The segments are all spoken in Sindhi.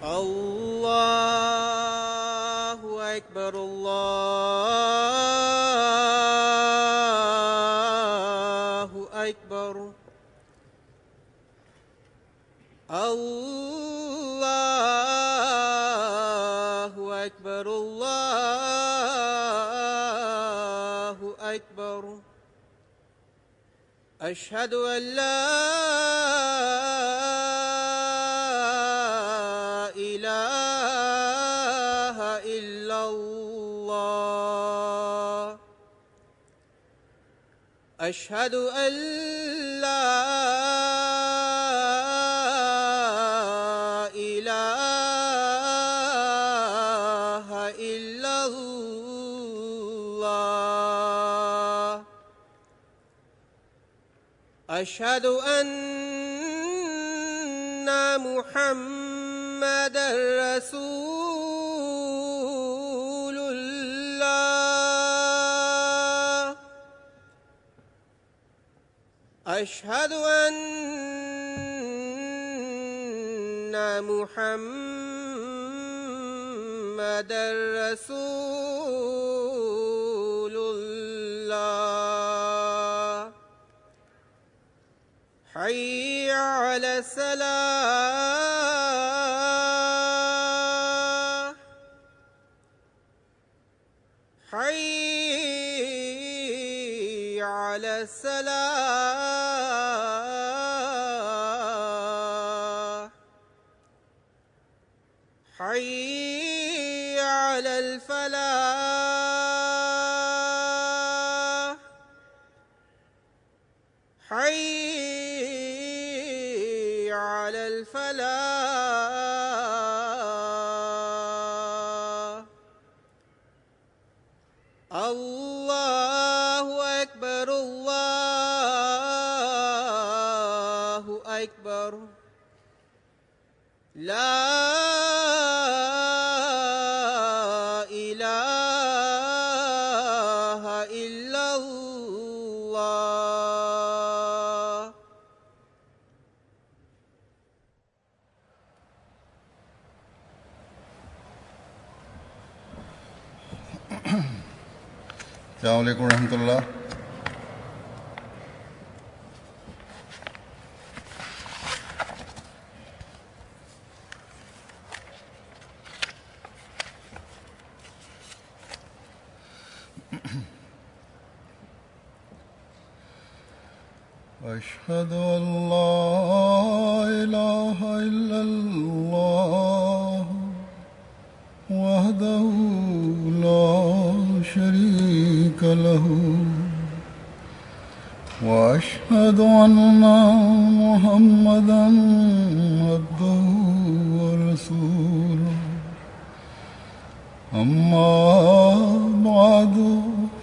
الله أكبر الله أكبر الله أكبر الله أكبر أشهد أن لا إله إلا الله أشهد أن لا إله إلا الله أشهد أن محمدا رسول الله أشهد أن محمدا رسول الله حي على الصلاة حي على الصلاة حي على الفلاح حي على الفلاح الله أكبر الله أكبر لا إله إلا الله. السلام علیکم ورحمۃ اللہ۔ أشهد أن لا إله إلا الله وحده لا شريك له وأشهد أن محمدا عبده ورسوله أما بعد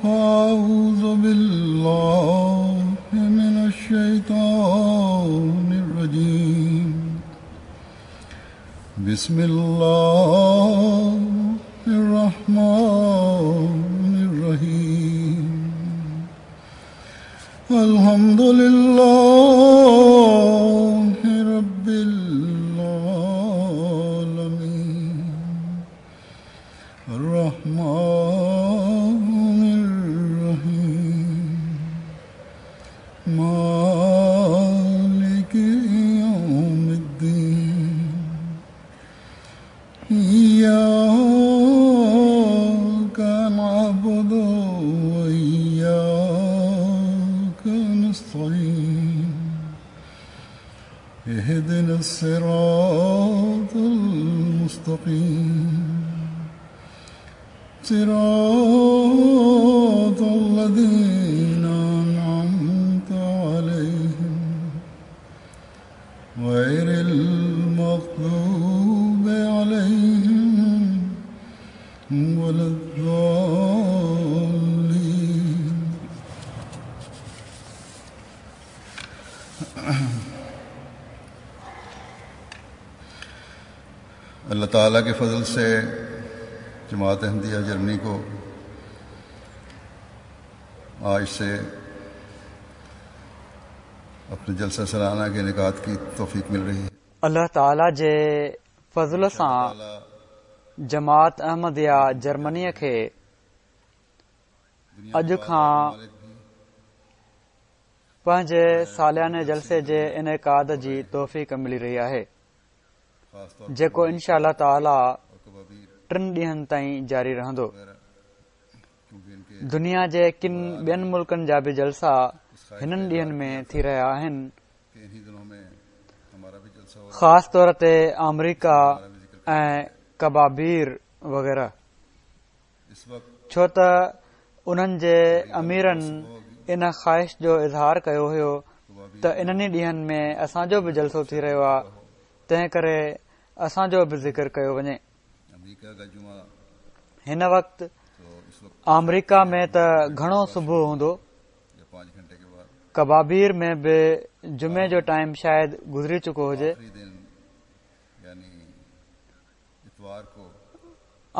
فأعوذ بالله من الشيطان الرجيم بسم الله الرحمن الرحيم الحمد لله رب العالمين الرحمن الرحيم مالك يوم الدين إياك نعبد وإياك نستعين اهدنا الصراط المستقيم صراط الذين أنعمت عليهم غير المغضوب عليهم ولا الضالين. اللہ تعالیٰ کے فضل سے جماعت احمدیہ جرمنی کو آج سے اپنے جلسہ سالانہ کے انعقاد کی توفیق مل رہی ہے. الله تعاليٰ جي فضل سان جماعت احمديه جرمنيء کي اڄ کان پنهنجي سالياني جلسي جي انعقاد جي توفيق ملي رهي آهي، جيڪو انشاء الله تعاليٰ ٽن ڏينهن تائين جاري رهندو. دنيا جي ڪن ٻين ملڪن جا به جلسا هنن ڏينهن ۾ ٿي رهيا آهن. خاص طور تي آمريڪا ۽ ڪبابير وغيره. ڇو ته انهن جي اميرن ان خواهش جو اظهار ڪيو هيو ته انهن ئي ڏينهن ۾ اسان جو به جلسو ٿي رهيو آهي تنهن ڪري اسان جو به ذڪر ڪيو وڃي. هن وقت آمريڪا ۾ ته گهڻو صبح هوندو. ڪبابير ۾ به جمعي جو ٽائيم شايد گذري چڪو هجي.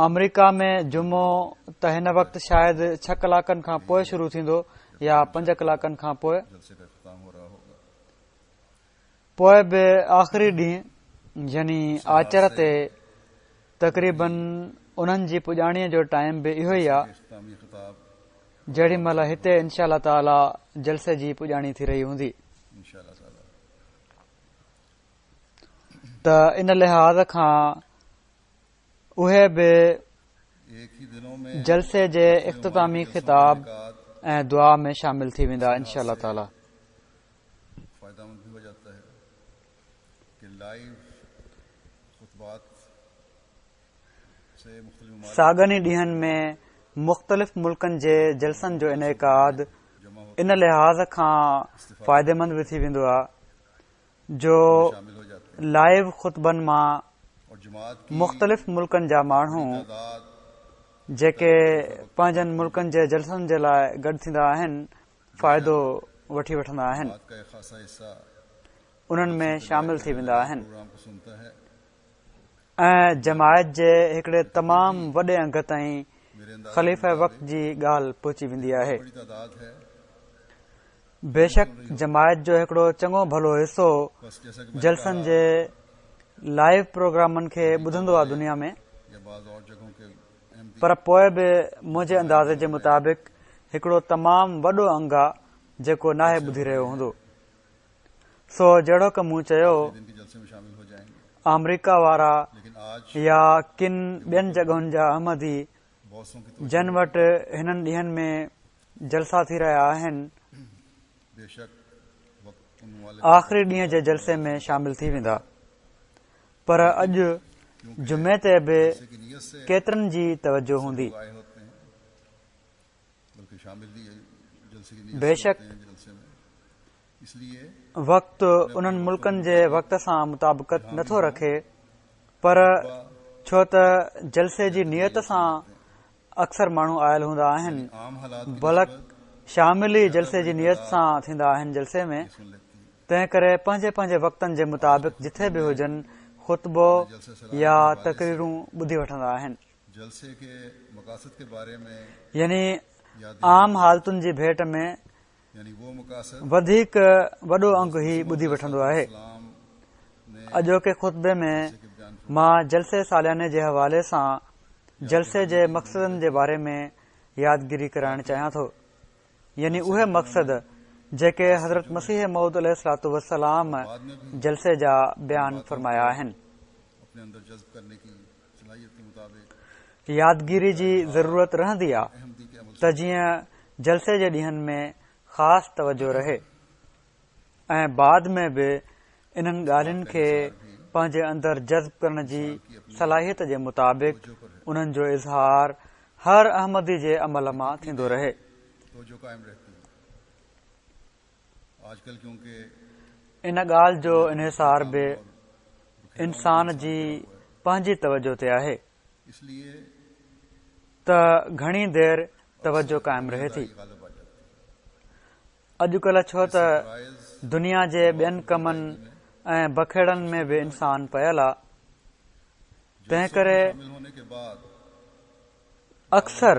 آمريڪا ۾ جمعو ته هن وقت شايد ڇهه ڪلاڪن کان پوء شروع ٿيندو يا پنج ڪلاڪن کان پوء. پوء به آخري ڏينهن يعني آچر تي تقريبن انهن جي پڄاڻيء جو ٽائيم به اهو ئي آ جيڏي مهل هتي انشاء الله تعاليٰ جلسي جي پڄاڻي ٿي رهي هوندي ته ان لحاظ کان اهي به جلسي جي اختتامي خطاب ۽ دعا ۾ شامل ٿي ويندا انشاء الله تعاليٰ. ساڳن ئي ڏينهن ۾ مختلف ملڪن جي جلسن جو انعقاد ان لحاظ کان فائديمند به ٿي ويندو آهي جو لائيو خطبن مان مختلف ملڪن جا ماڻهو جيڪي پنهنجن ملڪن جي جلسن جي لاء گڏ ٿيندا آهن فائدو وٺي وٺندا آهن انهن ۾ شامل ٿي ويندا آهن ۽ جماعت جي هڪڙي تمام وڏي انگ تائين خليفه وقت جي ڳالهه پهچي ويندي آهي. بيشڪ جماعت جو هڪڙو چڱو ڀلو حصو جلسن جي لائيو پروگرامن کي ٻڌندو آهي دنيا ۾ پر پوء به منهنجي اندازي جي مطابق هڪڙو تمام وڏو انگ آ جيڪو ناهي ٻڌي رهيو هوندو. سو جهڙوڪ مون چيو آمريڪا وارا يا ڪن ٻين جڳهن جا احمدي جن وٽ هنن ڏينهن ۾ جلسا ٿي رهيا آهن آخري ڏينهن جي جلسي ۾ شامل ٿي ويندا پر اڄ جمعي تي به ڪيترن جي توجه هوندي. بيشڪ وقت انهن ملڪن جي وقت سان مطابقت نٿو رکي پر ڇو ته جلسي جي نيت سان اڪثر ماڻهو آيل هوندا آهن بلڪ شامل ئي جلسي جي نيت سان ٿيندا آهن جلسي ۾ تنهن ڪري پنهنجي پنهنجي وقتن جي مطابق جٿي به هجن خطبو يا تقريرون ٻڌي وٺندا آهن. يعني عام حالتن جي ڀيٽ ۾ وڌيڪ وڏو انگ هي ٻڌي وٺندو آهي. اڄوڪي خطبي ۾ مان جلسي سالياني جي حوالي سان جلسي جي مقصدن جي باري ۾ يادگيري ڪرائڻ چاهيان ٿو. يعني اهي مقصد جيڪي حضرت مسيح موعود عليه الصلوة والسلام جلسي جا بيان فرمايا آهن. يادگيري جي ضرورت رهندي آ ته جيئن جلسي جي ڏينهن ۾ خاص توجه رهي ۽ بعد ۾ به انهن ڳالهين کي پنهنجي اندر جذب ڪرڻ جي صلاحيت جي مطابق انهن جو اظهار هر احمدي جي عمل مان ٿيندو رهي. ان ڳالهه جو انحصار به انسان جي پنهنجي توجه تي آهي ته گهڻي دير توجه قائم رهي ٿي. اڄڪلهه ڇو ته دنيا جي ٻين ڪمن ۽ بکيڙن ۾ به انسان پيل آ تنهن ڪري اڪثر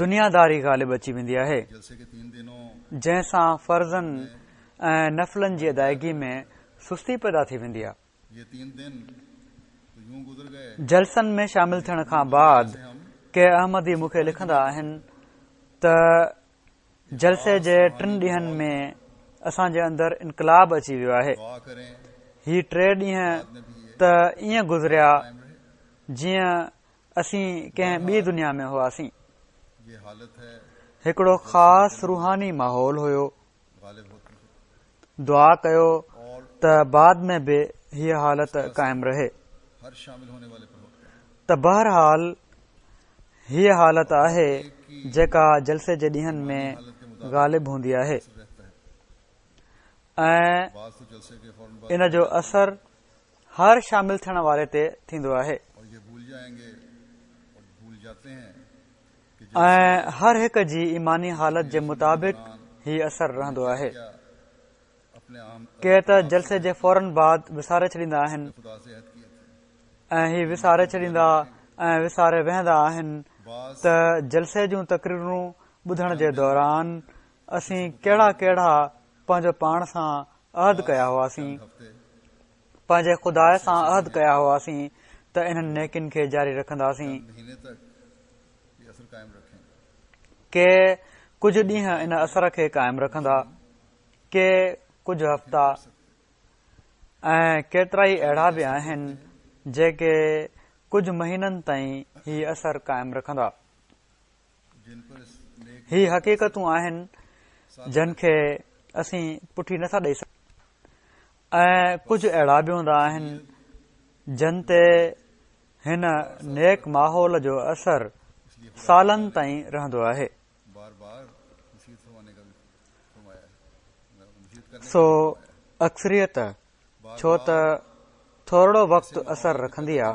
دنياداري غالب اچي ويندي آهي، جنهن سان فرضن ۽ نفلن جي ادائگي ۾ سستي پيدا ٿي ويندي آهي. جلسن ۾ شامل ٿيڻ کان بعد ڪي احمدي مون کي لکندا آهن ته جلسي جي ٽن ڏينهن ۾ اسان جي اندر انقلاب اچي ويو آهي. هي ٽي ڏينهن ته ائين گذريا جيئن اسين ڪنهن ٻي دنيا ۾ هئاسين. هڪڙو خاص روحاني ماحول هيو. دعا ڪيو ته بعد ۾ به هيء حالت قائم رهي. ته بهرحال هيء حالت آهي جيڪا جلسي جي ڏينهن ۾ غالب هوندي آهي ۽ ان جو اثر هر شامل ٿيڻ واري تي ٿيندو آهي ۽ هر هڪ جي ايماني حالت جي مطابق هي اثر رهندو آهي. ڪي ته جلسي جي فورن بعد وساري ڇڏيندا آهن ۽ هي وساري ڇڏيندا ۽ وساري ويهندا آهن ته جلسي جون تقريرون ٻڌڻ جي دوران اسين ڪهڙا ڪهڙا پنهنجو پاڻ سان عهد ڪيا هئاسين پنهنجي خدا سان عهد ڪيا هئاسين ته انهن نيڪين کي جاري رکنداسين. ڪي ڪجهه ڏينهن ان اثر کي قائم رکندا، ڪي ڪجهه هفتا ۽ ڪيترائي اهڙا به آهن جيڪي ڪجهه مهينن تائين هي اثر قائم رکندا. هي حقيقتون آهن جن کي اسين پٺي نٿا ڏئي سگهون ۽ ڪجهه اهڙا به هوندا آهن جن تي هن نيڪ ماحول جو اثر سالن تائين رهندو آهي. سو اڪثريت ڇو ته ٿورڙو وقت اثر رکندي آ،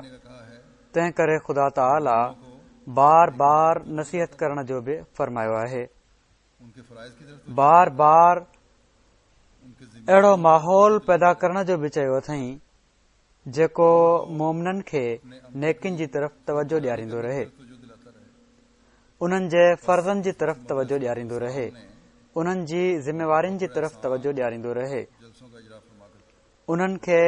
تنهن ڪري خدا تعاليٰ بار بار نصيحت ڪرڻ جو به فرمايو آهي. بار بار اهڙو ماحول پيدا ڪرڻ جو به چيو اٿئين، جيڪو مومنن کي نيڪين جي طرف توجه ڏياريندو رهي، انهن جي فرضن جي طرف توجه ڏياريندو رهي، انهن جي ذميوارين جي طرف توجه ڏياريندو رهي، انهن کي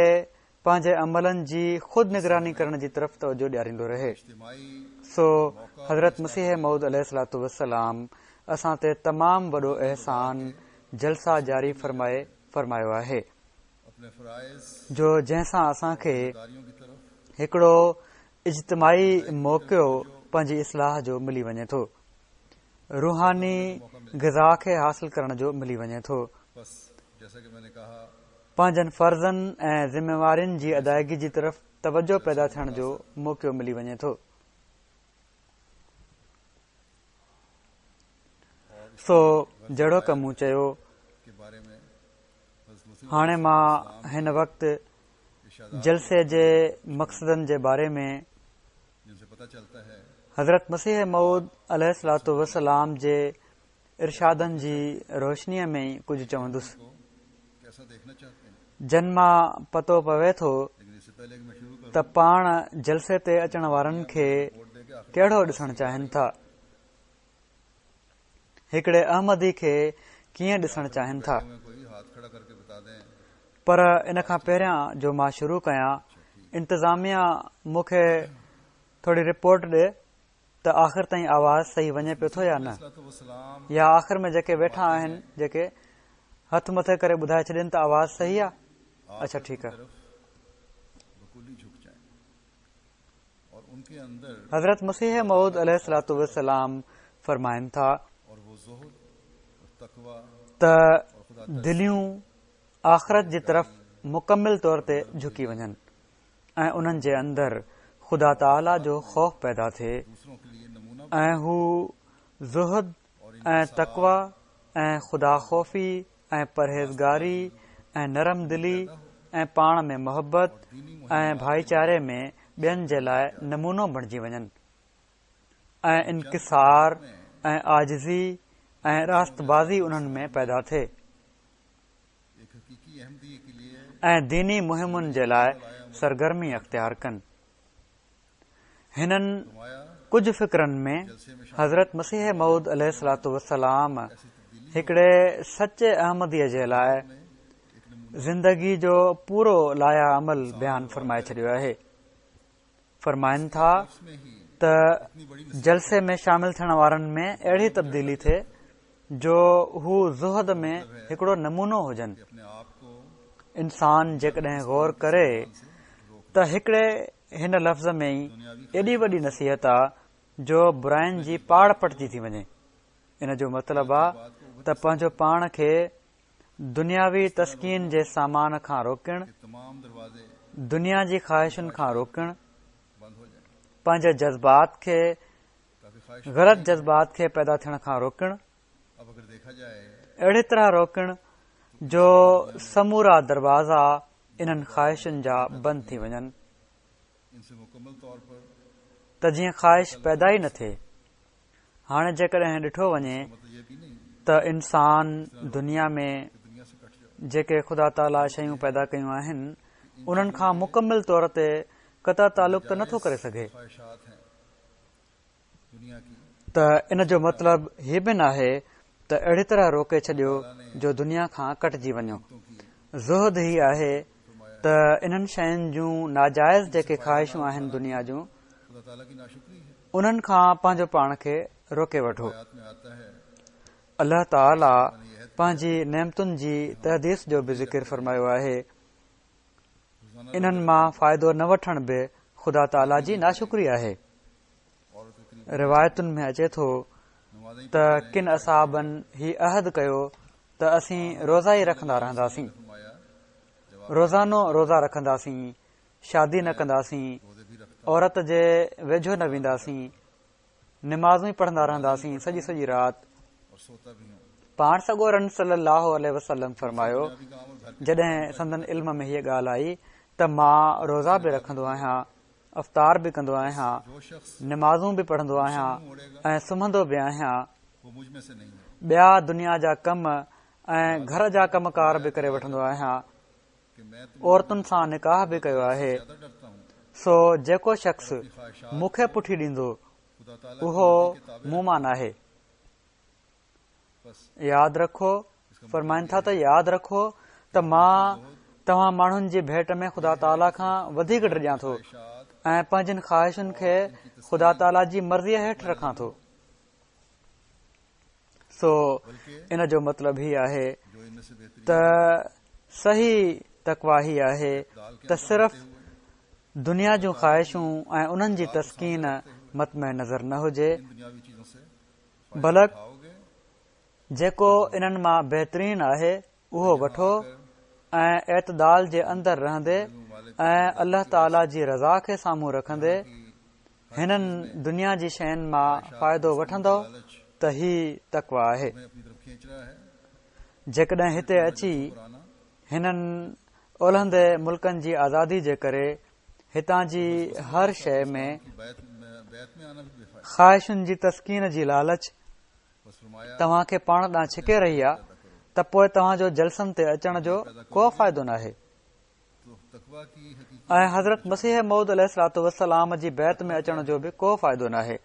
پنهنجي عملن جي خود نگراني ڪرڻ جي طرف توجه ڏياريندو رهي. سو حضرت مسيح موعود عليه الصلوة والسلام اسان تي تمام وڏو احسان جلسا جاري فرمائي فرمايو آهي. جو جنهن سان اسان کي هڪڙو اجتماعي موقعو پنهنجي اصلاح جو ملي وڃي ٿو، روحاني غذا کي حاصل ڪرڻ جو ملي وڃي ٿو، پنهنجن فرضن ۽ ذميوارين جي ادائگي جي طرف توجه پيدا ٿيڻ جو موقعو ملي وڃي ٿو. سو جهڙوڪ مون چيو هاڻي مان هن وقت جلسي جي مقصدن جي باري ۾ حضرت مسيح موعود عليه الصلوة والسلام جي ارشادن جي روشنيء ۾ ئي ڪجهه چوندس، جن مان پتو پوي ٿو ته پاڻ جلسي تي اچڻ وارن کي ڪهڙو ڏسڻ چاهين ٿا. هڪڙي احمدي کي ڪيئن ڏسڻ چاهين ٿا. پر ان کان پهريان جو مان شروع ڪيان، انتظاميا مون کي ٿوري رپورٽ ڏي ته آخر تائين آواز صحيح وڃي پيو ٿو يا نه، يا آخر ۾ جيڪي ويٺا آهن جيڪي هٿ مٿي ڪري ٻڌائي ڇڏين ته آواز صحيح آ. اڇا ٺيڪ آ. حضرت مسيح موعود عليه الصلوة والسلام فرمائن ٿا ته دليون آخرت جي طرف مڪمل طور تي جهڪي وڃن ۽ انهن جي اندر خدا تعاليٰ جو خوف پيدا ٿئي ۽ هو زهد ۽ تقويٰ ۽ خدا خوفي ۽ پرهيزگاري ۽ نرم دلي ۽ پاڻ ۾ محبت ۽ ڀائيچاري ۾ ٻين جي لاء نمونو بڻجي وڃن ۽ انڪسار ۽ عاجزي ۽ راست بازي انهن ۾ پيدا ٿئي ۽ ديني مهمن جي لاء سرگرمي اختيار ڪن. هنن ڪجهه فقرن ۾ حضرت مسيح موعود عليه الصلوة والسلام هڪڙي سچي احمديء جي لاء زندگي جو پورو لائحه عمل بيان فرمائي ڇڏيو آهي. فرمائن ٿا ته جلسي ۾ شامل ٿيڻ وارن ۾ اهڙي تبديلي ٿئي جو هو زهد ۾ هڪڙو نمونو هجن. انسان جيڪڏهن غور ڪري ته هڪڙي هن لفظ ۾ ئي ايڏي وڏي نصيحت آ جو براين جي پاڙ پٽجي ٿي وڃي. ان جو مطلب آ ته پنهنجو پاڻ کي دنياوي تسڪين جي سامان کان روڪڻ، دنيا جي خواهشن کان روڪڻ، پنهنجي جذبات کي غلط جذبات کي پيدا ٿيڻ کان روڪڻ، اهڙي طرح روڪڻ جو سمورا دروازا انهن خواهشن جا بند ٿي وڃن ته جيئن خواهش پيدا ئي نه ٿئي. هاڻي جيڪڏهن ڏٺو وڃي ته انسان دنيا ۾ جيڪي خدا تعاليٰ شيون پيدا ڪيون آهن انهن کان مڪمل طور تي قطع تعلق ته نٿو ڪري سگهي ته ان جو مطلب هي به ناهي ته اهڙي طرح روڪي ڇڏيو جو دنيا کان ڪٽجي وڃو. زهد هي آهي ته انهن شين جون ناجائز جيڪي خواهشون آهن دنيا جون انهن کان پنهنجو پاڻ کي روڪي وٺو. الله تعاليٰ پنهنجي نعمتن جي تحديث جو به ذڪر فرمايو آهي. انهن مان فائدو نه وٺڻ به خدا تعاليٰ جي ناشڪري آهي. روايتن ۾ اچي ٿو ته ڪن اصحابن هي عهد ڪيو ته اسين روزا ئي رکندا رهنداسين، روزانو روزا رکنداسين، شادي نه ڪنداسين، عورت جي ويجهو نه وينداسين، نمازون ئي پڙهندا رهنداسين سڄي سڄي رات. پاڻ سڳورن صلي الله عليه وسلم فرمايو، جڏهن سندن علم ۾ هيء ڳالهه آئي ته مان روزا به رکندو آهيان، افطار به ڪندو آهيان، نمازون به پڙهندو آهيان ۽ سمهندو به آهيان، ٻيا دنيا جا ڪم ۽ گهر جا ڪم ڪار به ڪري وٺندو آهيان، عورتن سان نڪاح به ڪيو آهي، سو جيڪو شخص مون کي پٺي ڏيندو اهو مون مان ناهي. ياد رکو، فرمائن ٿا ته ياد رکو ته مان توهان ماڻهن جي ڀيٽ ۾ خدا تعاليٰ کان وڌيڪ ڊڄان ٿو ۽ پنهنجين خواهشن کي خدا تعاليٰ جي مرضيء هيٺ رکان ٿو. سو ان جو مطلب هي آهي ته صحيح تقويٰ هي آهي ته صرف دنيا جون خواهشون ۽ انهن جي تسڪين مطمع نظر نه هجي بلڪ جيڪو انهن مان بهترين آهي اهو وٺو ۽ اعتدال جي اندر رهندي ۽ الله تعاليٰ جي رضا کي سامهون رکندي هنن دنيا جي شين مان فائدو وٺندؤ ته هي تقويٰ آهي. جيڪڏهن هتي اچي هنن اولهندي ملڪن جي آزادي جي ڪري هتان جي هر شيء ۾ خواهشن جي تسڪين جي لالچ توهان کي پاڻ ڏانهن ڇڪي رهي آ ته پوء توهان جو جلسن تي اچڻ جو ڪو فائدو ناهي. ۽ حضرت مسيح موعود عليه الصلوة والسلام جي بيعت ۾ اچڻ جو به ڪو فائدو ناهي.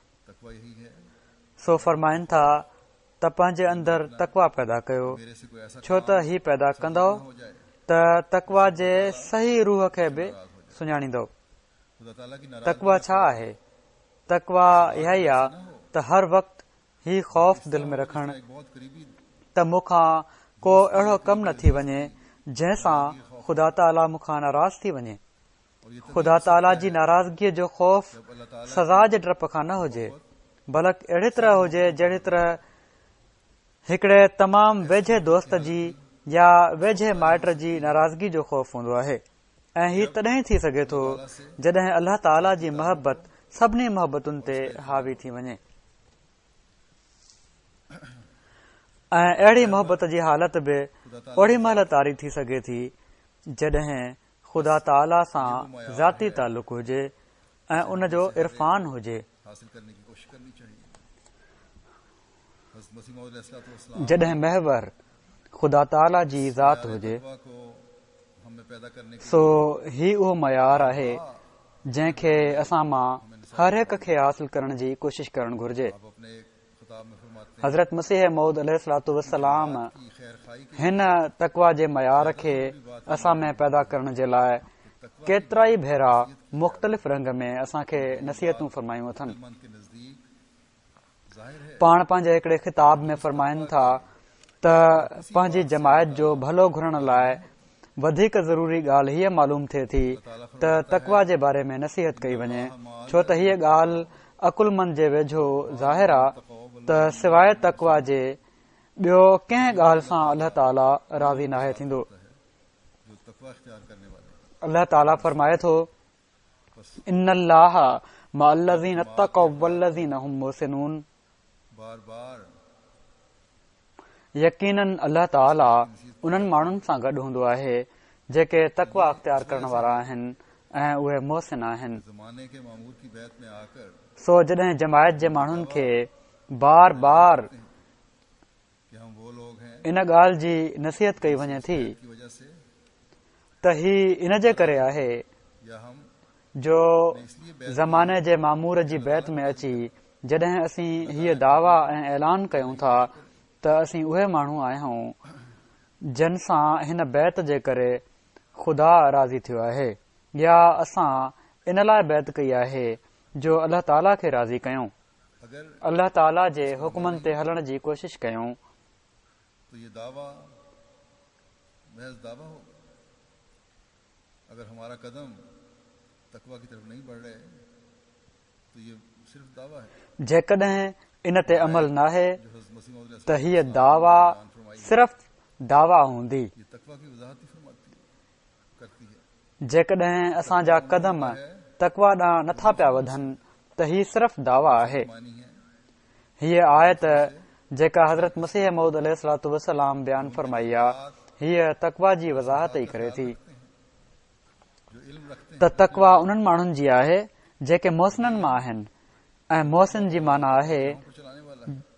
سو فرمائن ٿا ته پنهنجي اندر تقويٰ پيدا ڪيو، ڇو ته هي پيدا ڪندؤ ته تقويٰ جي صحيح روح کي به سڃاڻيندؤ. تقويٰ ڇا آهي؟ تقويٰ اها ئي آ ته هر وقت هي خوف دل ۾ رکڻ ته مون کان ڪو اهڙو ڪم نه ٿي وڃي جنهن سان خدا تعاليٰ مون کان ناراض ٿي وڃي. خدا تعاليٰ جي ناراضگيء جو خوف سزا جي ڊپ کان نه هجي، بلڪ اهڙي طرح هجي جهڙي طرح هڪڙي تمام ويجهي دوست جي يا ويجهي مائٽ جي ناراضگي جو خوف هوندو آهي ۽ هي تڏهن ٿي سگهي ٿو جڏهن الله تعاليٰ جي محبت سڀني محبتن تي حاوي ٿي وڃي. ۽ اهڙي محبت جي حالت به اوڏي مهل طاري ٿي سگهي ٿي جڏهن خدا تعاليٰ سان ذاتي تعلق هجي ۽ ان جو عرفان هجي. جڏهن محور خدا تعاليٰ جي ذات هجي. سو هي اهو معيار آهي جنهن کي اسان مان هر هڪ کي حاصل ڪرڻ جي ڪوشش ڪرڻ گهرجي. حضرت مسيح موعود عليه الصلوة والسلام هن تقويٰ جي معيار کي اسان ۾ پيدا ڪرڻ جي لاء ڪيترائي ڀيرا مختلف رنگ ۾ اسان کي نصيحتون فرمايون اٿن. پاڻ پنهنجي هڪڙي خطاب ۾ فرمائن ٿا ته پنهنجي جماعت جو ڀلو گهرڻ لاء وڌيڪ ضروري ڳالهه هيء معلوم ٿئي ٿي ته تقويٰ جي باري ۾ نصيحت ڪئي وڃي ڇو ته هيء ڳالهه عقلمند جي ويجهو ظاهر آ ته سواء تقويٰ جي ٻيو ڪنهن ڳالهه سان الله تعاليٰ راضي ناهي ٿيندو. الله تعاليٰ فرمائي ٿو، ان الله مع الذين اتقوا والذين هم محسنون يقيناً الله تعاليٰ انهن ماڻهن سان گڏ هوندو آهي جيڪي تقويٰ اختيار ڪرڻ وارا آهن ۽ اهي محسن آهن. سو جڏهن جماعت جي ماڻهن کي بار بار ان ڳالهه جي نصيحت ڪئي وڃي ٿي ته هي ان جي ڪري آهي جو زماني جي مامور جي بيعت ۾ اچي جڏهن اسين هيء دعويٰ ۽ اعلان ڪيون ٿا ته اسين اهي ماڻهو آهيون جن سان هن بيعت جي ڪري خدا راضي ٿيو آهي يا اسان ان لاء بيعت ڪئي آهي جو الله تعاليٰ کي راضي ڪيون. الله تعاليٰ جي حڪمن تي هلڻ جي ڪوشش ڪيون. جيڪڏهن ان تي عمل ناهي ته هيء دعويٰ صرف دعويٰ هوندي. جيڪڏهن اسان جا قدم تقويٰ ڏانهن نٿا پيا وڌن ته هي صرف دعويٰ آهي. هيء آيت جيڪا حضرت مسيح موعود عليه الصلوة والسلام بيان فرمائي آ، هيء تقويٰ جي وضاحت ئي ڪري ٿي ته تقويٰ انهن ماڻهن جي آهي جيڪي محسنن مان آهن ۽ محسن جي معنيٰ آهي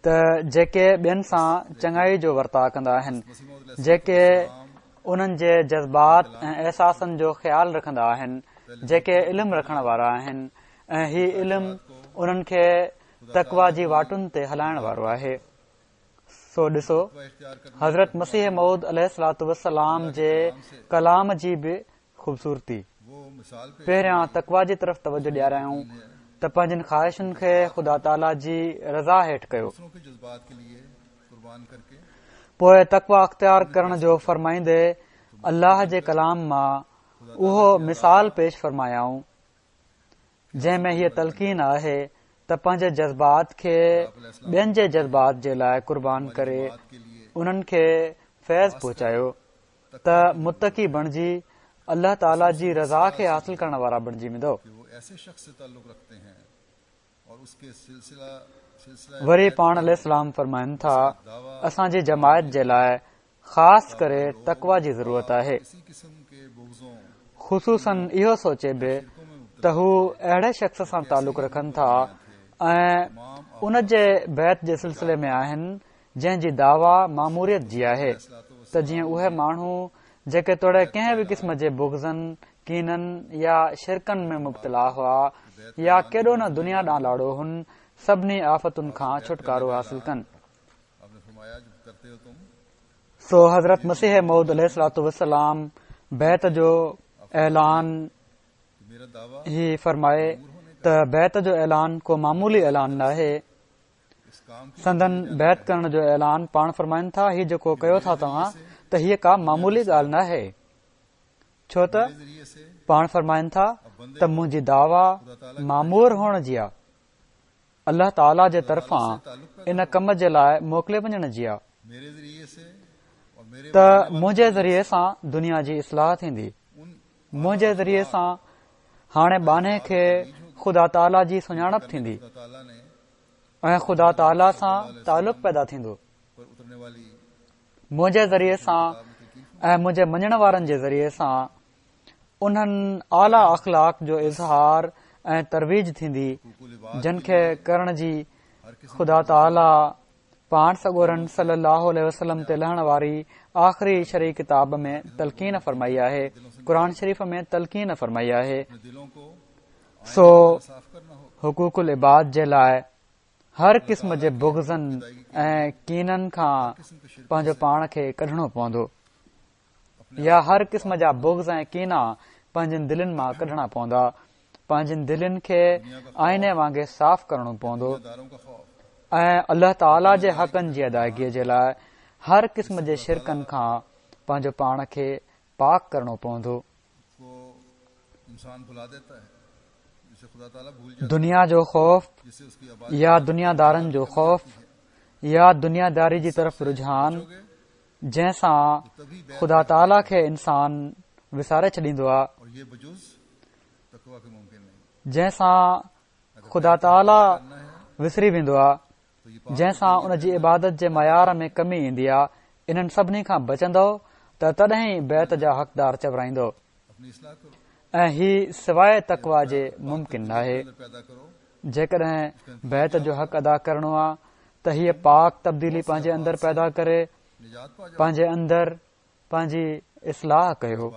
ته جيڪي ٻين سان چڱائي جو ورتاء ڪندا آهن، جيڪي انهن جي جذبات ۽ احساسن جو خيال رکندا آهن، جيڪي علم رکڻ وارا آهن ۽ هي علم انهن کي تقويٰ جي واٽن تي هلائڻ وارو آهي. سو ڏسو حضرت مسيح موعود عليه الصلوة والسلام جي ڪلام جي به خوبصورتي. پهريان تقويٰ جي طرف توجه ڏياريائون ته پنهنجين خواهشن کي خدا تعاليٰ جي رضا هيٺ ڪيو. پوء تقويٰ اختيار ڪرڻ جو فرمائيندي الله جي ڪلام مان اهو مثال پيش فرمايائون جنهن ۾ هيء تلقين آهي ته پنهنجي جذبات کي ٻين جي جذبات جي لاء قربان ڪري انهن کي فيض پهچايو. ته متقي بڻجي الله تعالي جي رضا کي حاصل ڪرڻ وارا بڻجي ويندؤ. وري پاڻ عليه السلام فرمائن ٿا، اسان جي جماعت جي لاء خاص ڪري تقويٰ جي ضرورت آهي. خصوصاً اهو سوچي به ته هو اهڙي شخص سان تعلق رکن ٿا ۽ ان جي بيعت جي سلسلي ۾ آهن جنهن جي دعويٰ ماموريت جي آهي ته جيئن اهي ماڻهو جيڪي توڙي ڪنهن به قسم جي بغضن، ڪينن يا شرڪن ۾ مبتلا هئا يا ڪيڏو نه دنيا ڏانهن لاڙو هن، سڀني آفتن کان ڇوٽڪارو حاصل ڪن. سو حضرت مسيح موعود عليه الصلوة والسلام بيعت جو اعلان هي فرمائي ته بيعت جو اعلان ڪو معمولي اعلان ناهي، سندن بيعت ڪرڻ جو اعلان پاڻ فرمائن ٿا هي جيڪو ڪيو ٿا توهان ته هيء ڪا معمولي ڳالهه ناهي ڇو ته پاڻ فرمائن ٿا ته منهنجي دعويٰ مامور هئڻ جي آ الله تعاليٰ جي طرفان ان ڪم جي لاء موڪلي وڃڻ جي آ ته منهنجي ذريعي سان دنيا جي اصلاح ٿيندي منهنجي ذريعي سان هاڻي ٻانهي کي خدا تعاليٰ جي سڃاڻپ ٿيندي ۽ خدا تعاليٰ سان تعلق پيدا ٿيندو. منهنجي ذريعي سان ۽ منهنجي مڃڻ وارن جي ذريعي سان انهن اعليٰ اخلاق جو اظهار ۽ ترويج ٿيندي جن کي ڪرڻ جي خدا تعاليٰ پاڻ سڳورن صلّي اللّٰه عليه وسلّم تي لهڻ واري آخري شرعي ڪتاب ۾ تلقين فرمائي آهي، قرآن شريف ۾ تلقين فرمائي آهي. سو حقوق العباد جي لاء هر قسم جي بغضن ۽ ڪينن کان پنهنجو پاڻ کي ڪڍڻو پوندو يا هر قسم جا بغض ۽ ڪينا پنهنجين دلين مان ڪڍڻا پوندا. پنهنجين دلين کي آئيني وانگي صاف ڪرڻو پوندو ۽ الله تعاليٰ جي حقن جي ادائگي جي لاء هر قسم جي شرڪن کان پنهنجو پاڻ کي پاڪ ڪرڻو پوندو. دنيا جو خوف يا دنيا دارن جو خوف يا دنيا داري جي طرف رجحان جنهن سان خدا تعاليٰ کي انسان وساري ڇڏيندو آهي جنهن سان خدا تعاليٰ وسري ويندو آهي جنهن سان ان جي عبادت جي معيار ۾ ڪمي ايندي آ، انهن سڀني کان بچندؤ ته تڏهن ئي بيعت جا حقدار چورائيندؤ ۽ هي سواء تقويٰ جي ممڪن ناهي. جيڪڏهن بيعت جو حق ادا ڪرڻو آ ته هيء پاڪ تبديلي پنهنجي اندر پيدا ڪري پنهنجي اندر پنهنجي اصلاح ڪيو.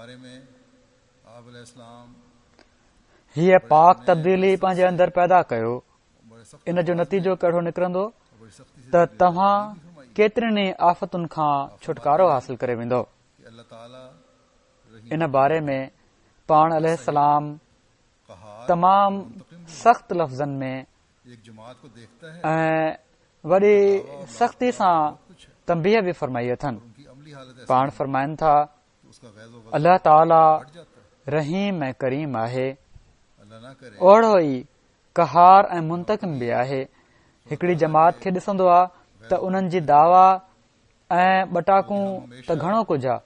هيء پاڪ تبديلي پنهنجي اندر پيدا ڪيو. ان جو نتيجو ڪهڙو نڪرندو ته توهان ڪيترين ئي آفتن کان ڇوٽڪارو حاصل ڪري ويندؤ. ان باري ۾ پاڻ عليه السلام تمام سخت لفظن ۾ ۽ وڏي سختي سان تنبيهه به فرمائي اٿن. پاڻ فرمائن ٿا، الله تعاليٰ رحيم ۽ ڪريم آهي، اوڙو ئي قهار ۽ منتقم به آهي. هڪڙي جماعت کي ڏسندو آ ته انهن جي دعويٰ ۽ ٻٽاڪون ته گهڻو ڪجهه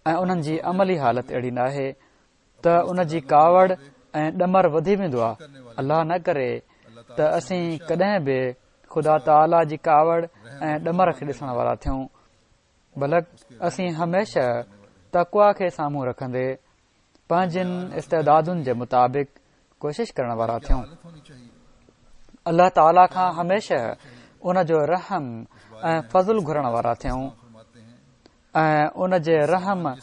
آ ۽ انهن جي عملي حالت اهڙي ناهي ته ان جي ڪاوڙ ۽ ڏمر وڌي ويندو آ. الله نه ڪري ته اسين ڪڏهن به خدا تعاليٰ جي ڪاوڙ ۽ ڏمر کي ڏسڻ وارا ٿيون بلڪ اسين هميشه تقويٰ کي سامهون رکندي پنهنجين استعدادن جي مطابق ڪوشش ڪرڻ وارا ٿيون. الله تعاليٰ کان هميشه ان جو رحم ۽ فضل گهرڻ وارا ٿيون ۽ ان جي رحم ۽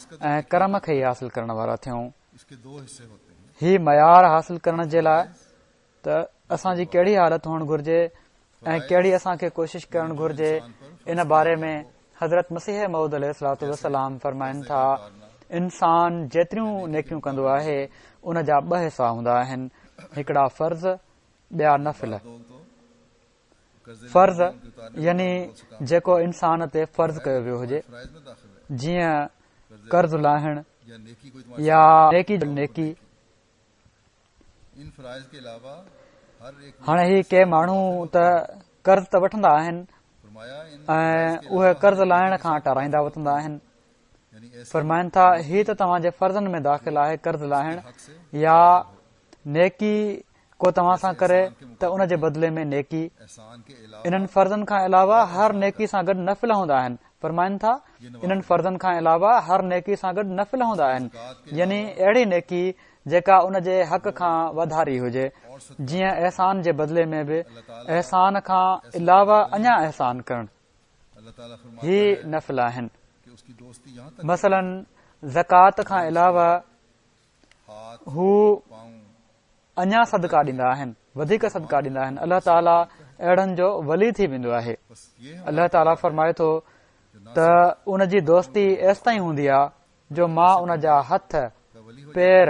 ڪرم کي ئي حاصل ڪرڻ وارا ٿيون. هي معيار حاصل ڪرڻ جي لاء ته اسان جي ڪهڙي حالت هئڻ گهرجي ۽ ڪهڙي اسان کي ڪوشش ڪرڻ گهرجي ان باري ۾ حضرت مسيح موعود عليه الصلوة والسلام فرمائن ٿا انسان جيتريون نيڪيون ڪندو آهي ان جا ٻه حصا هوندا آهن هڪڙا فرض ٻيا نفل فرض يعني جيڪو انسان تي فرض ڪيو ويو هجي جيئن قرض لاهڻ يا نيڪي نيڪي هاڻي هي ڪي ماڻهو ته قرض ته وٺندا آهن ۽ اهي قرض لاهڻ کان ٽارائيندا وتندا آهن فرمائن ٿا هي ته توهان جي فرضن ۾ داخل آهي قرض لاهڻ يا نيڪي ڪو توهان سان ڪري ته ان جي بدلي ۾ نيڪي انهن فرضن کان علاوه هر نيڪي سان گڏ نفل هوندا آهن فرمائن ٿا انهن فرضن کان علاوه هر نيڪي سان گڏ نفل هوندا آهن يعني اهڙي نيڪي جيڪا ان جي حق کان وڌاري هجي جيئن احسان جي بدلي ۾ به احسان کان علاوه اڃا احسان ڪرڻ هي نفل آهن مثلاً زڪوات کان علاوه هو اڃا صدقا ڏيندا آهن، وڌيڪ صدقا ڏيندا آهن، الله تعاليٰ اهڙن جو ولي ٿي ويندو آهي. الله تعاليٰ فرمائي ٿو ته ان جي دوستي ايستائين هوندي آهي جو مان ان جا هٿ، پير،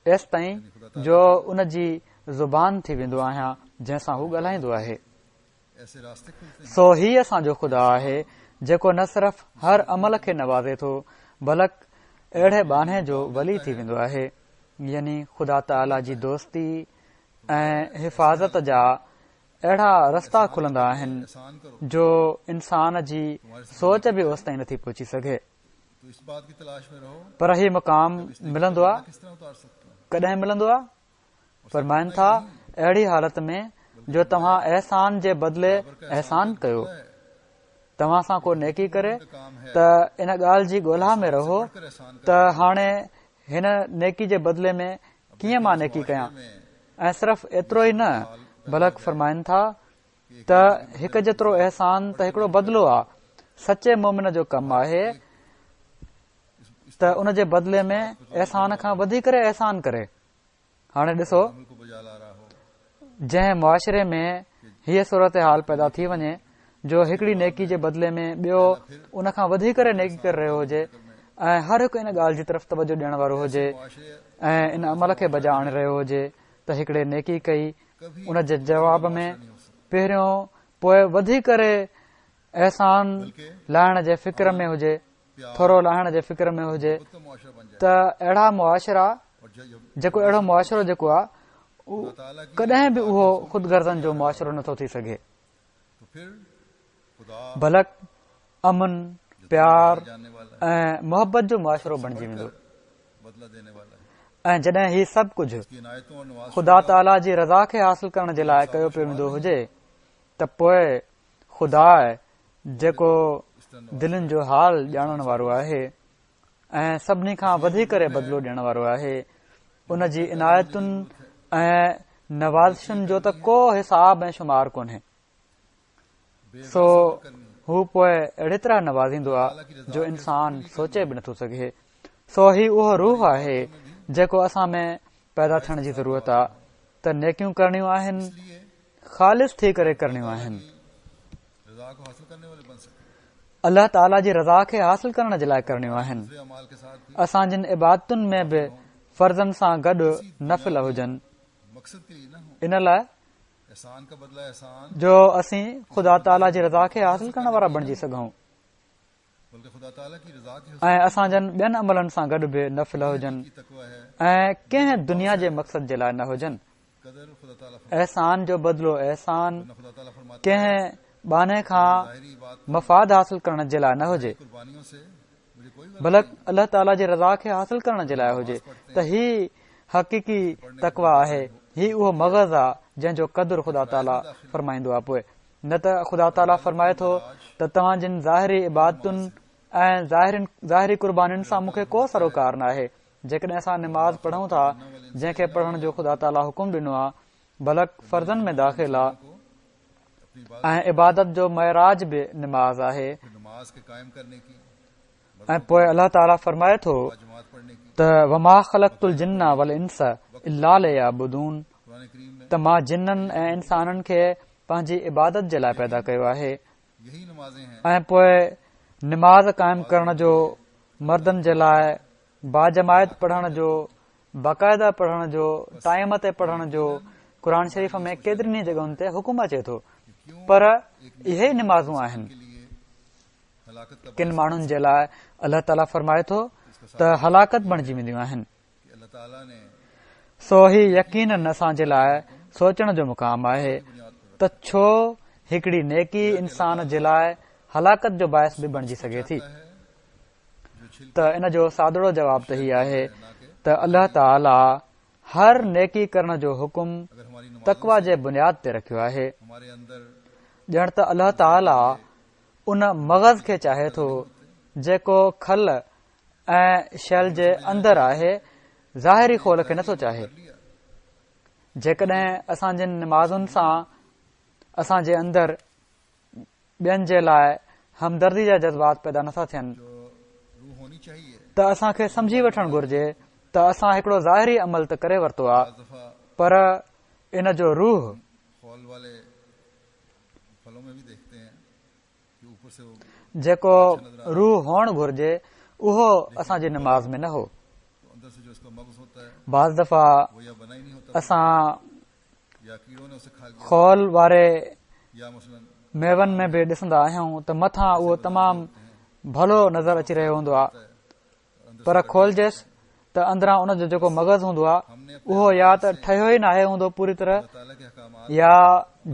ايستائين جو ان جي زبان ٿي ويندو آهيان جنهن سان هو ڳالهائيندو آهي. سو هي اسان جو خدا آهي جيڪو نه صرف هر عمل کي نوازي ٿو بلڪ اهڙي ٻانهي جو ولي ٿي ويندو آهي يعني خدا تعاليٰ جي دوستي ۽ حفاظت جا اهڙا رستا کلندا آهن جو انسان جي سوچ به اوستائين نٿي پهچي سگهي پر هي مقام ملندو آهي ڪڏهن ملندو آهي فرمائن ٿا، اهڙي حالت ۾ جو توهان احسان جي بدلي احسان ڪيو، توهان سان ڪو نيڪي ڪري ته ان ڳالهه جي ڳولها ۾ رهو ته هاڻي هن نيڪي جي بدلي ۾ ڪيئن مان نيڪي ڪيان ۽ صرف ايترو ئي نه بلڪ فرمائن ٿا ته هڪ جيترو احسان ته هڪڙو بدلو آ، سچي مومن جو ڪم آهي ته ان جي بدلي ۾ احسان کان وڌي ڪري احسان ڪري. هاڻي ڏسو جنهن معاشري ۾ هيء صورتحال پيدا ٿي وڃي جو هڪڙي نيڪي جي بدلي ۾ ٻيو ان کان وڌي ڪري نيڪي ڪري رهيو هجي ۽ هر هڪ ان ڳالهه جي طرف توجه ڏيڻ وارو هجي ۽ ان عمل کي بجا آڻي رهيو هجي ته هڪڙي نيڪي ڪئي ان جي جواب ۾ پهريون پوء وڌي ڪري احسان لاهڻ جي فڪر ۾ هجي ٿورو لاهڻ جي فڪر ۾ هجي ته اهڙا معاشرا جيڪو اهڙو معاشرو جيڪو آهي ڪڏهن به اهو خود غرضن جو معاشرو نٿو ٿي سگهي بلڪ امن، پيار ۽ محبت جو معاشرو بڻجي ويندو ۽ جڏهن هي سڀ ڪجهه خدا تعاليٰ جي رضا کي حاصل ڪرڻ جي لاء ڪيو پيو ويندو هجي ته پوء خدا جيڪو دلين جو حال ڄاڻڻ وارو آهي ۽ سڀني کان وڌي ڪري بدلو ڏيڻ وارو آهي ان جي عنايتن ۽ نوازشن جو ته ڪو حساب ۽ شمار ڪونهي سو هو پوء اهڙي طرح نوازيندو آ جو انسان سوچي به نٿو سگهي. سو هي اهو روح آهي جيڪو اسان ۾ پيدا ٿيڻ جي ضرورت آ ته نيڪيون ڪرڻيون آهن، خالص ٿي ڪري ڪرڻيون آهن. الله تعاليٰ جي رضا کي حاصل ڪرڻ جي لاء ڪرڻيون آهن. اسان جن عبادتن ۾ به فرضن سان گڏ نفل هجن. ان لاء جو اسين خدا تعاليٰ جي رضا کي حاصل ڪرڻ وارا بڻجي سگهون ۽ اسان جن ٻين عملن سان گڏ به نفل هجن ۽ ڪنهن دنيا جي مقصد جي لاء نه هجن احسان جو بدلو احسان ڪنهن ٻانهي کان مفاد حاصل ڪرڻ جي لاء نه هجي بلڪ الله تعاليٰ جي رضا کي حاصل ڪرڻ جي لاء هجي ته هي حقيقي تقويٰ آهي، هي اهو مغز آ جنهن جو قدر خدا تعاليٰ فرمائيندو آ پوء نه ته خدا تعاليٰ فرمائي ٿو ته توهان جن ظاهري عبادتن ۽ ظاهري قربانين سان مون کي ڪو سروڪار ناهي جيڪڏهن اسان نماز پڙهون ٿا جنهن کي پڙهڻ جو خدا تعاليٰ حڪم ڏنو آ بلڪ فرضن ۾ داخل آ ۽ عبادت جو معراج به نماز آهي ۽ پوء الله تعالي فرمائي ٿو ته وما خلقت الجن والانس الا ليعبدون ته مان جنن ۽ انسانن کي پنهنجي عبادت جي لاء پيدا ڪيو آهي ۽ پوء نماز قائم ڪرڻ جو مردن جي لاء باجماعت پڙهڻ جو، باقاعده پڙهڻ جو، ٽائيم تي پڙهڻ جو قرآن شريف ۾ ڪيترين ئي جڳهن تي حڪم اچي ٿو پر اهي ئي نمازون آهن ڪن ماڻهن جي لاء الله تعاليٰ فرمائي ٿو ته هلاڪت بڻجي وينديون آهن سو هي يقينن اسان جي لاء سوچڻ جو مقام آهي ته ڇو هڪڙي نيڪي انسان جي لاء هلاڪت جو باعث به بڻجي سگهي ٿي ته ان جو سادڙو جواب ته هي آهي ته الله تعاليٰ هر نيڪي ڪرڻ جو حڪم تقويٰ جي بنياد تي رکيو آهي ڄڻ ته الله تعاليٰ ان مغز کي چاهي ٿو جيڪو کل ۽ شيل جي اندر آهي ظاهري خول کي نٿو چاهي جيڪڏهن اسان جن نمازن سان اسان جي اندر ٻين جي لاء همدردي جا جذبات پيدا نٿا ٿين ته اسان کي سمجهي وٺڻ گهرجي ته اسان هڪڙو ظاهري عمل ته ڪري ورتو آ پر ان جو روح جيڪو روح هئڻ گهرجي اهو اسان جي نماز ۾ نه هو بعض دفعا اسان خول واري ميون ۾ به ڏسندا آهيون ته مٿان اهو تمام ڀلو نظر اچي رهيو هوندو آهي پر کولجيس ته اندران ان جو جيڪو مغز هوندو آهي اهو يا ته ٺهيو ئي ناهي هوندو پوري طرح يا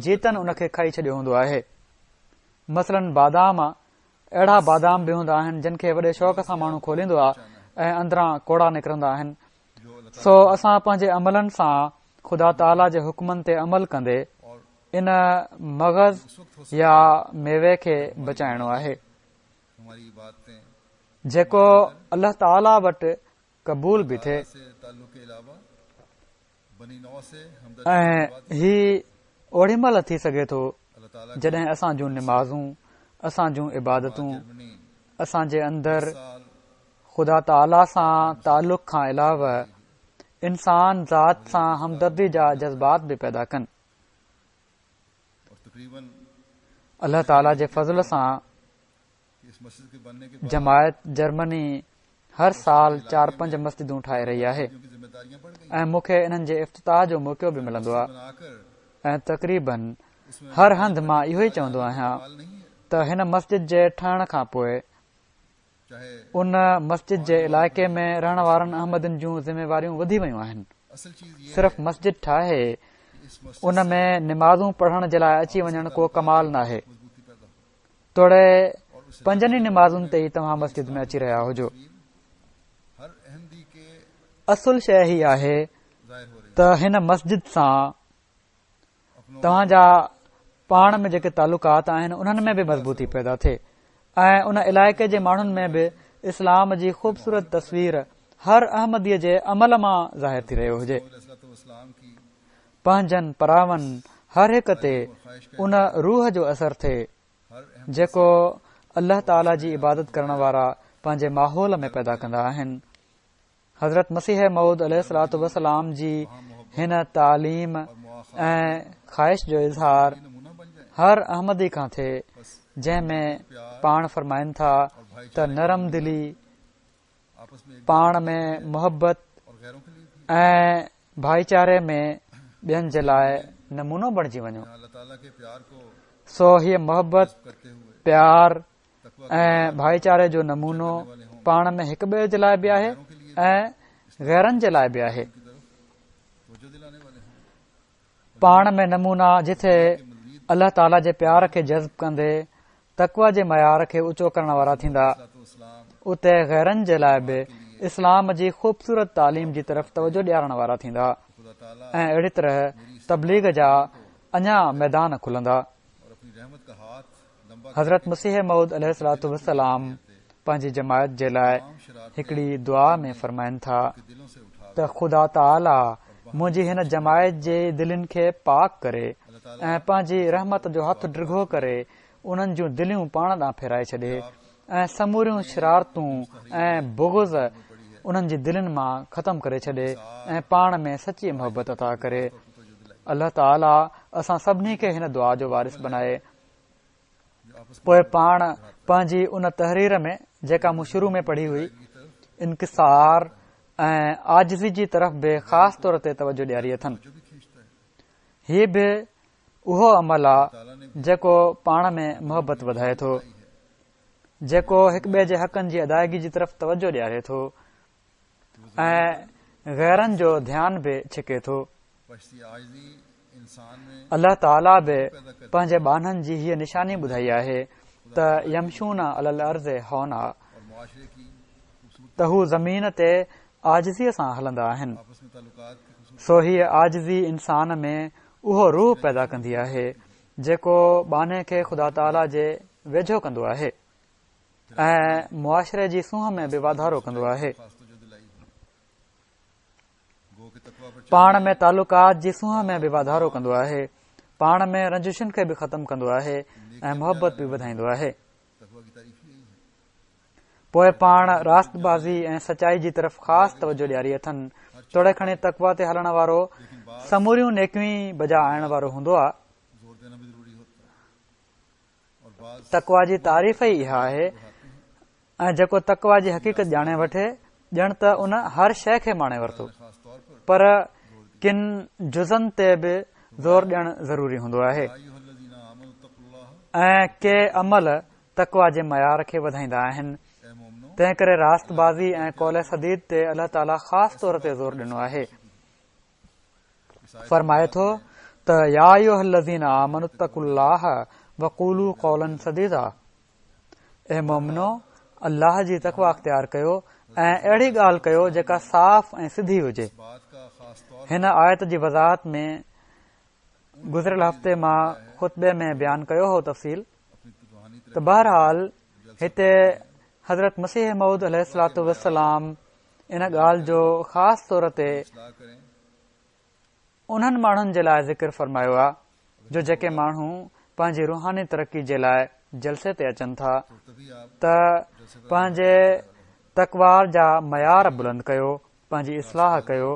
جيتن ان کي کائي ڇڏيو هوندو آهي مثلا بادام اهڙا بادام به هوندا آهن جن کي وڏي شوق سان ماڻهو کوليندو آهي ۽ اندران ڪوڙا نڪرندا آهن سو اسان پنهنجي عملن سان خدا تعاليٰ جي حڪمن تي عمل ڪندي ان مغز يا ميوي کي بچائڻو آهي جيڪو الله تعاليٰ وٽ قبول به ٿئي ۽ هي اوڏي مهل ٿي سگهي ٿو جڏهن اسان جون نمازون اسان جون عبادتون اسان جي اندر خدا تعاليٰ سان تعلق کان علاوه انسان ذات سان همدردي جا جذبات به پيدا ڪن. الله تعاليٰ جي فضل سان جماعت جرمني هر سال چار پنج مسجدون ٺاهي رهي آهي ۽ مون کي انهن جي افتتاح جو موقعو به ملندو آهي ۽ تقريبن هر هنڌ مان اهو ئي چوندو آهيان ته هن مسجد جي ٺهڻ کان پوء ان مسجد جي علائقي ۾ رهڻ وارن احمدين جون ذميواريون وڌي ويون آهن. صرف مسجد ٺاهي ان ۾ نمازون پڙهڻ جي لاء اچي وڃڻ ڪو ڪمال ناهي. توڙي پنجن ئي نمازن تي ئي توهان مسجد ۾ اچي رهيا هجو. اصل شيء هي آهي ته هن مسجد سان توهان جا پاڻ ۾ جيڪي تعلقات آهن انهن ۾ به مضبوطي پيدا ٿئي ۽ ان علائقي جي ماڻهن ۾ به اسلام جي خوبصورت تصوير هر احمدي جي عمل مان ظاهر ٿي رهيو هجي. پنهنجن پراون هر هڪ تي ان روح جو اثر ٿئي جيڪو الله تعالي جي عبادت ڪرڻ وارا پنهنجي ماحول ۾ پيدا ڪندا آهن. حضرت مسيح موعود عليه الصلوة والسلام جي هن تعليم ۽ خواهش جو اظهار هر احمدي کان ٿئي جنهن ۾ پاڻ فرمائن ٿا ته نرم دلي، پاڻ ۾ محبت ۽ ڀائيچاري ۾ ٻين جي لاء نمونو بڻجي وڃو. سو هيء محبت، پيار ۽ ڀائيچاري جو نمونو پاڻ ۾ هڪ ٻئي جي لاء به آهي ۽ غيرن جي لاء به آهي. پاڻ ۾ نمونا جٿي الله تعاليٰ جي پيار کي جذب ڪندي تقويٰ جي معيار کي اوچو ڪرڻ وارا ٿيندا اتي غيرن جي لاء به اسلام جي خوبصورت تعليم جي طرف توجه ڏيارڻ وارا ٿيندا ۽ اهڙي طرح تبليغ جا اڃا ميدان کلندا. حضرت مسيح موعود عليه الصلوة والسلام پنهنجي جماعت جي لاء هڪڙي دعا ۾ فرمائن ٿا ته خدا تعاليٰ منهنجي هن جماعت جي دلين کي پاڪ ڪري ۽ پنهنجي رحمت جو هٿ ڊگهو ڪري انهن جون دليون پاڻ ڏانهن ڦيرائي ڇڏي ۽ سموريون شرارتون ۽ بغض انهن جي دلين مان ختم ڪري ڇڏي ۽ پاڻ ۾ سچي محبت عطا ڪري. الله تعاليٰ اسان سڀني کي هن دعا جو وارث بنائي. پوء پاڻ پنهنجي ان تحرير ۾ جيڪا مون شروع ۾ پڙهي هئي، انڪسار ۽ عاجزي جي طرف به خاص طور تي توجه ڏياري اٿن. هي به اهو عمل آ جيڪو پاڻ ۾ محبت وڌائي ٿو، جيڪو هڪ ٻئي جي حقن جي ادائگي جي طرف توجه ڏياري ٿو ۽ غيرن جو ڌيان به ڇڪي ٿو. الله تعاليٰ به پنهنجي ٻانهن جي هيء نشاني ٻڌائي آهي ته يمشون علي الارض هونا ته هو زمين تي عاجزيء سان هلندا آهن. سو هيء عاجزي انسان ۾ اهو روح پيدا ڪندي آهي، جيڪو ٻانهي کي خدا تعاليٰ جي ويجهو ڪندو آهي ۽ معاشري جي سونهن ۾ به واڌارو ڪندو آهي. پاڻ ۾ تعلقات جي سونهن ۾ به واڌارو ڪندو آهي. پاڻ ۾ رنجشن کي به ختم ڪندو آهي ۽ محبت به وڌائيندو آهي. پوء پاڻ راست بازي ۽ سچائي جي طرف خاص توجه ڏياري اٿن. توڙي کڻي تقويٰ تي هلڻ وارو سموريون نيڪيون ئي بجا آڻڻ وارو هوندو آ. تقويٰ جي تعريف ئي اها آهي ۽ جيڪو تقويٰ جي حقيقت ڄاڻي وٺي ڄڻ ته ان هر شيء کي ماڻي ورتو. پر ڪن جزن تي به زور ڏيڻ ضروري هوندو آهي ۽ ڪي عمل تقويٰ جي معيار کي وڌائيندا آهن، تنهن ڪري راست بازي ۽ قول سديد تي الله تعاليٰ خاص طور تي زور ڏنو آهي. فرمائي ٿو ته يا ايها الذين آمنوا اتقوا الله وقولوا قولا سديدا اي مومنو الله جي تقويٰ اختيار ڪيو ۽ اهڙي ڳالهه ڪيو جيڪا صاف ۽ سڌي هجي. هن آيت جي وضاحت ۾ گذريل هفتي مان خطبي ۾ بيان ڪيو هو تفصيل ته بهرحال هتي حضرت مسيح موعود عليه الصلوة والسلام ان ڳالهه جو خاص طور تي انهن ماڻهن جي لاء ذڪر فرمايو آهي جو جيڪي ماڻهو پنهنجي روحاني ترقي جي لاء جلسي تي اچن ٿا ته پنهنجي تقويٰ جا معيار بلند ڪيو پنهنجي اصلاح ڪيو.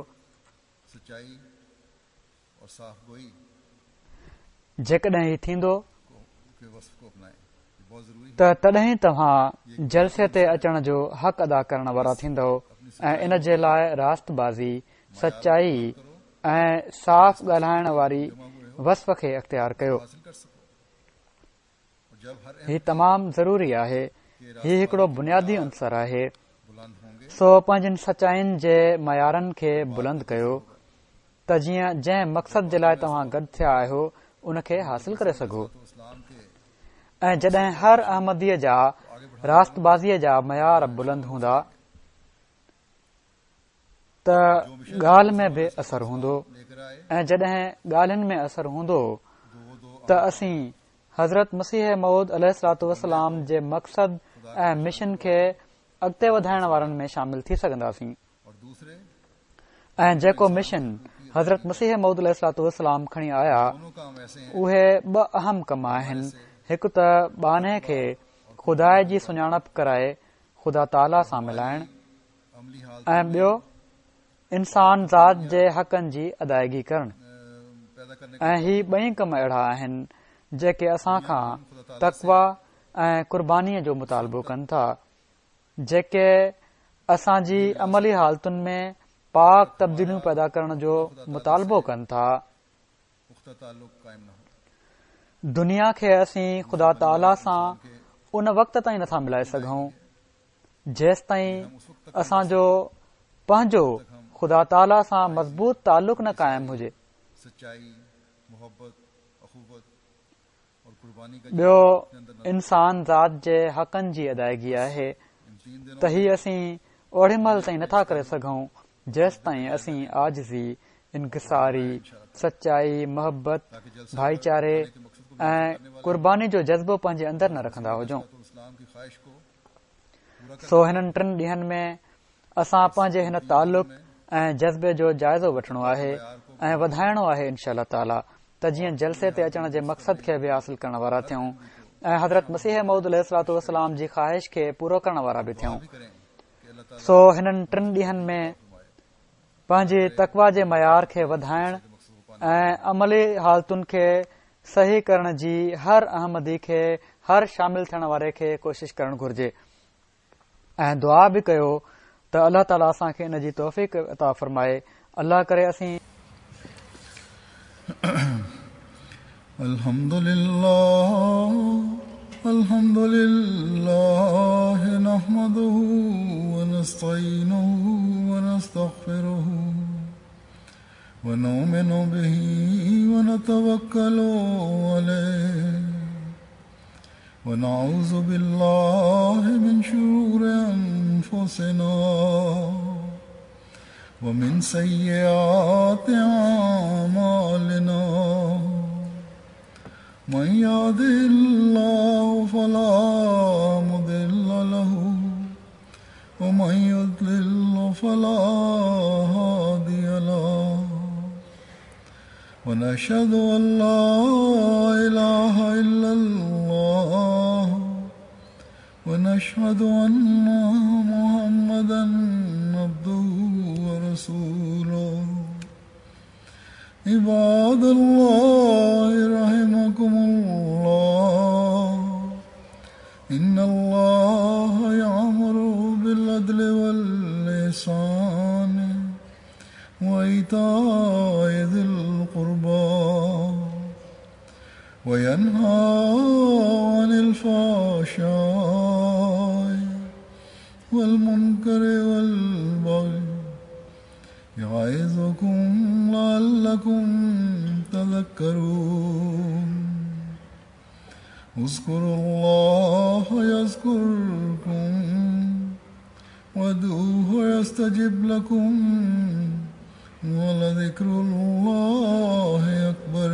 جيڪڏهن هي ٿيندو. ته تڏهن توهان جلسي تي اچڻ جو حق ادا ڪرڻ وارا ٿيندؤ ۽ ان جي لاء راست بازي، سچائي ۽ صاف ڳالهائڻ واري وصف کي اختيار ڪيو. هي تمام ضروري آهي. هي هڪڙو بنيادي عنصر آهي. سو پنهنجين سچائين جي معيارن کي بلند ڪيو ته جيئن جنهن مقصد جي لاء توهان گڏ ٿيا آهيو ان کي حاصل ڪري سگهو ۽ جڏهن هر احمديء جا راستبازيء جا معيار بلند هوندا ته ڳالهه ۾ به اثر هوندو ۽ جڏهن ڳالهين ۾ اثر هوندو ته اسين حضرت مسيح موعود عليه الصلوة والسلام جي مقصد ۽ مشن کي اڳتي وڌائڻ وارن ۾ شامل ٿي سگهنداسين ۽ جيڪو مشن حضرت مسيح موعود عليه الصلوة والسلام کڻي آيا اهي ٻه اهم ڪم آهن هڪ ته ٻانهي کي خدا جي سڃاڻپ ڪرائي خدا تعاليٰ سان ملائڻ ۽ ٻيو انسان ذات جي حقن جي ادائگي ڪرڻ ۽ هي ٻئي ڪم اهڙا آهن جيڪي اسان کان تقويٰ ۽ قربانيء جو مطالبو ڪن ٿا جيڪي اسان جي عملي حالتن ۾ پاڪ تبديليون پيدا ڪرڻ جو مطالبو ڪن ٿا. دنيا کي اسين خدا تعاليٰ سان ان وقت تائين نٿا ملائي سگهون جيستائين اسان جو پنهنجو خدا تعاليٰ سان مضبوط تعلق نه قائم هجي. ٻيو انسان ذات جي حقن جي ادائگي آهي ته هي اسين اوڏي مهل تائين نٿا ڪري سگهون جيستائين اسين عاجزي، انڪساري، سچائي، محبت، ڀائيچاري ۽ قرباني جو جذبو پنهنجي اندر نه رکندا هجون. سو هنن ٽن ڏينهن ۾ اسان پنهنجي هن تعلق ۽ جذبي جو جائزو وٺڻو آهي ۽ وڌائڻو آهي انشاء الله تعاليٰ ته جيئن جلسي تي اچڻ جي مقصد کي به حاصل ڪرڻ وارا ٿيون ۽ حضرت مسيح موعود عليه الصلوة والسلام جي خواهش کي پورو ڪرڻ وارا به ٿيون. سو هنن ٽن ڏينهن ۾ پنهنجي تقويٰ جي معيار کي وڌائڻ ۽ عملي حالتن کي صحيح ڪرڻ جي هر احمدي کي هر شامل ٿيڻ واري کي ڪوشش ڪرڻ گهرجي ۽ دعا به ڪيو ته الله تعاليٰ اسان کي ان جي توفيق عطا فرمائي الله ڪري اسين الحمد لله الحمد لله نحمده ونستعينه ونستغفره ونؤمن به ونتوكل عليه ونعوذ بالله من شرور أنفسنا ومن سيئات أعمالنا من يهده الله فلا مضل له ومن يضلل فلا هادي له ونشهد أن لا إله إلا الله ونشهد أن محمدا عبده ورسوله عباد الله رحمكم الله إن الله يأمر بالعدل والإحسان وإيتاء ذي القربى وينهى عن الفحشاء والمنكر والبغي يعظكم لعلكم تذكرون اذكروا الله يذكركم وادعوه يستجب لكم ولذكر الله أكبر.